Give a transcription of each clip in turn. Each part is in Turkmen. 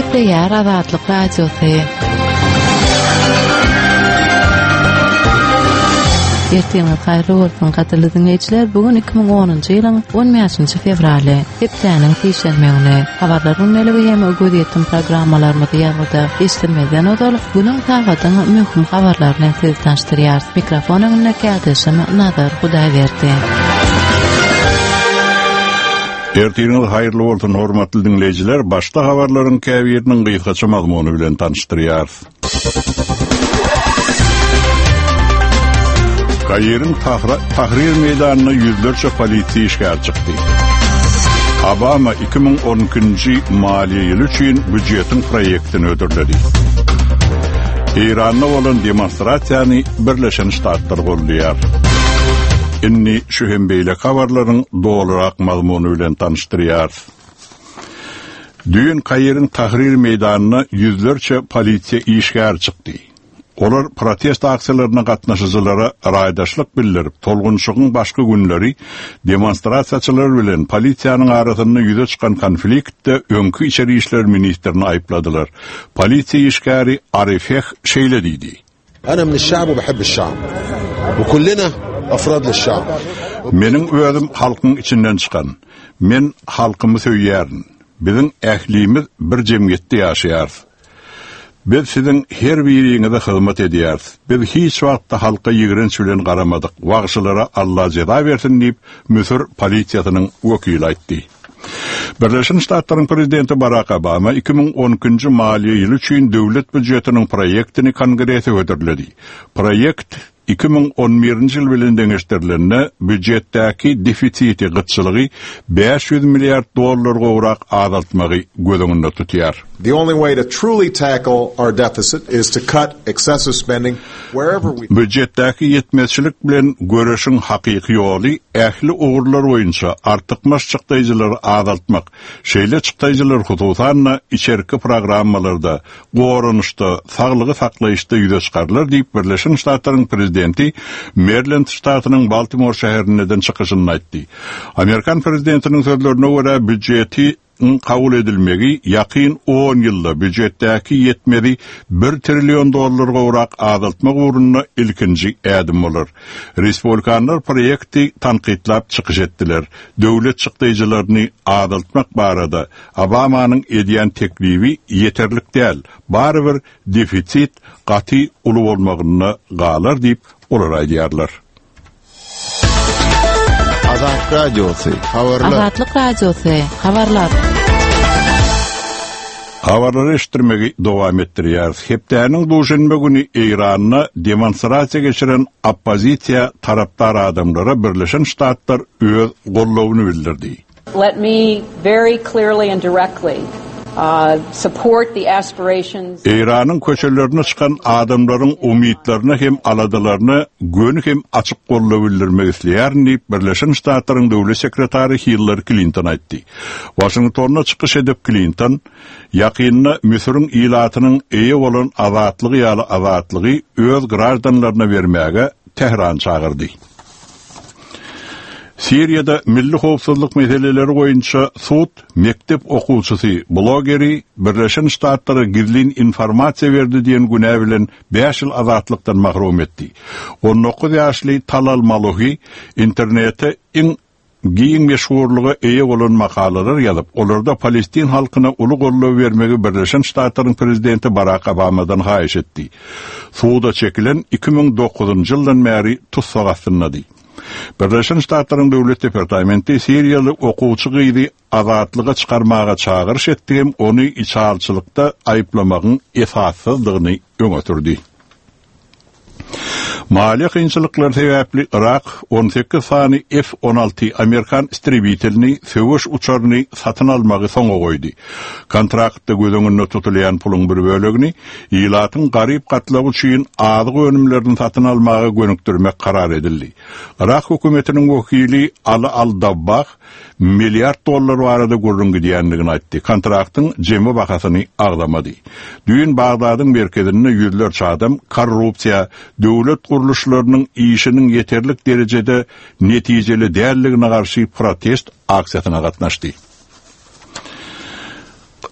Gepleýär Azatlyk Radiosy. Ertiriňiz haýyrly bolsun, gadyrly diňleýjiler! Bu gün 2010-njy ýylyň 15-nji fewraly, hepdäniň sişenbe güni. Habarlar gündeligi hem gözýetim programmalarymyzy ýazgyda eşidilmezden ozal, günüň sagadyň möhüm habarlary bilen sizi tanyşdyrýarys. Mikrofon öňünde kärdeşim Nazar Hudaýberdi. Ertiriňiz haýyrly bolsun, hormatly diňleýjiler! Başda habarlaryň käbiriniň gysgaça mazmuny bilen tanyşdyrýarys. Kairiň Tahrir meýdanyna ýüzlerçe polisiýa işgäri çykdy. Obama 2012-nji maliýe ýyly üçin býujetiň proýektini hödürledi. Eýranda bolan demonstrasiýany Birleşen Ştatlar goldaýar. Indi şu hem beýleki habarlaryň dolurak mazmuny bilen tanyşdyrýarys. Düýn Kairiň Tahrir meýdanyna ýüzlerçe polisiýa işgäri çykdy. Olar protest aksiýalaryna gatnaşyjylara raýdaşlyk bildirip, tolgunyşygyň başky günleri demonstrasiýaçylar bilen polisiýanyň arasynda ýüze çykan konfliktde öňki içeri işler ministrini aýypladylar. Polisiýa işgäri Arifeh şeýle diýdi. Ana mineş-şa'b we behebbeş-şa'b. We kullena afrad liş-şa'b. Meniň özüm halkyň içinden çykan. Men halkymy söýýärin. Biziň ählimiz bir jemgyýetde ýaşaýarys. Biz siziň her biriňize hyzmat edýäris. Biz hiç wagtda halka ýigrenç bilen garamadyk. Wagşylara Alla jeza bersin diýip, Müsür polisiýasynyň wekili aýtdy. Birleşen Ştatlaryň prezidenti Barak Obama 2012-nji maliýe ýyly üçin döwlet býujetiniň proýektini Kongrese hödürledi. Proýekt 2011-nji ýyl bilen deňeşdirilende býujetdäki defisiti, gytçylygy 500 milliard dollar gowrak azaltmagy göz öňünde tutýar. The only way to truly tackle our deficit is to cut excessive spending wherever we. Býujetdäki ýetmezçilik bilen göreşiň hakyky ýoly ähli ugurlar boýunça artykmaç çykdaýjylary azaltmak. Şeýle çykdaýjylar hususan-da içerki programmalarda, goranyşda, saglygy saklaýyşda ýüze çykarylar diýip, Birleşen Ştatlaryň prezidenti Merilend ştatynyň Baltimor şäherinde eden çykyşynda aýtdy. Amerikan prezidentiniň sözlerine görä, býujeti Yň kabul edilmegi ýakyn on ýylda býujetdäki ýetmezi bir trillion dollar gowrak azaltmak ugrunda ilkinji ädim bolar. Respublikanlar proýekti tankytlap çykyş etdiler. Döwlet çykdaýjylaryny azaltmak barada Obamanyň edýän teklibi ýeterlik däl, barybir defisit gaty uly bolmagynda galar diýip, olar aýdýarlar. Azat Radiosy, habarlar. Azatlyk Radiosy, habarlar. Habarlary eşitdirmegi dowam etdirýäris. Hepdäniň duşenbe güni Eýranda demonstrasiýa geçiren oppozisiýa tarapdar adamlara Birleşen Ştatlar öz goldawyny bildirdi. Let me very clearly and directly support the aspirations. Eýranyň köçelerine çykan adamlaryň umytlaryna hem aladalaryna göni hem açyk goldaw bildirmek isleýärin diýip, Birleşen Ştatlaryň Döwlet sekretary Hillari Klinton aýtdy. Waşingtonda çykyş edip Klinton, Ýakynda Müsüriň ilatynyň eýe bolan azatlygy ýaly azatlygy öz graždanlaryna bermäge Tährany çagyrdy. Siriýada milli howpsuzlyk meseleleri boýunça sud mekdep okuwçysy blogeri Birleşen Ştatlara gizlin informasiýa berdi diýen günä bilen bäş ýyl azatlykdan mahrum etdi. On dokuz ýaşly Talal Maluhi internete iň giň meşhurlyga eýe bolan makalalar ýazyp, olarda palestin halkyna uly goldaw bermegi Birleşen Ştatlaryň prezidenti Barak Obamadan haýyş etdi. Suda çekilen 2009-njy ýyldan bäri tussag astyndady. Birleşen Ştatlaryň Döwlet departamenti siriýaly okuwçy gyzy azatlyga çykarmaga çagyryş etdi hem ony içalyçylykda aýyplamagyň esassyzdygyny öňe sürdi. Maliýe kynçylyklary sebäpli Yrak 18 sany F-16 amerikan istrebitelini, söweş uçaryny satyn almagy soňa goýdy. Kontraktda göz öňünde tutulýan puluň bir bölegini ilatyň garyp gatlagy üçin azyk önümlerini satyn almaga gönükdirmek karar edildi. Yrak hökümetiniň wekili Aly al-Dabbah Milliard dollar barada gürrüň gidýändigini aýtdy. Kontraktyň jemi bahasyny agzamady. Düýn Bagdadyň merkezinde ýüzlerçe adam korrupsiýa, döwlet gurluşlarynyň işiniň ýeterlik derejede netijeli däldigine garşy protest aksiýasyna gatnaşdy.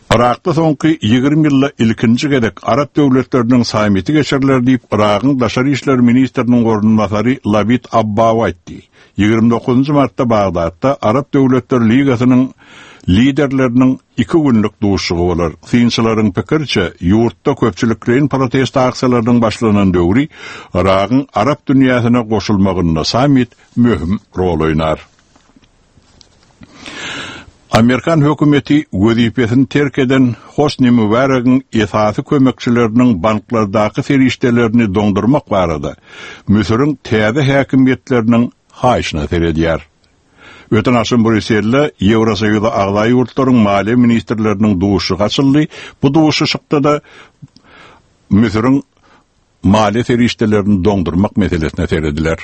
Yrakda soňky 20 ýylda ilkinji gezek Arap döwletleriniň sammiti geçiriler diýip, Yragyň daşary işler ministriniň orunbasary Labid Abbaw aýtdy. 29-njy martda Bagdatda Arap döwletler ligasynyň liderleriniň iki günlük duşuşygy bolar. Synçylaryň pikiriçe, ýurtda köpçülikleýin protest aksiýalarynyň başlanan döwri Yragyň arap dünýäsine goşulmagynda sammit möhüm rol oýnar. Amerikan hökümeti wezipesini terk eden Hosni Mübäregiň esasy kömekçileriniň banklardaky serişdelerini doňdurmak barada Müsüriň täze häkimiýetleriniň haýyşyna seredýär. Öten agşam Brýusselde Ýewrosoýuza agza ýurtlaryň maliýe ministrleriniň duşuşygy açyldy. Bu duşuşykda-da Müsüriň maliýe serişdelerini doňdurmak meselesine serediler.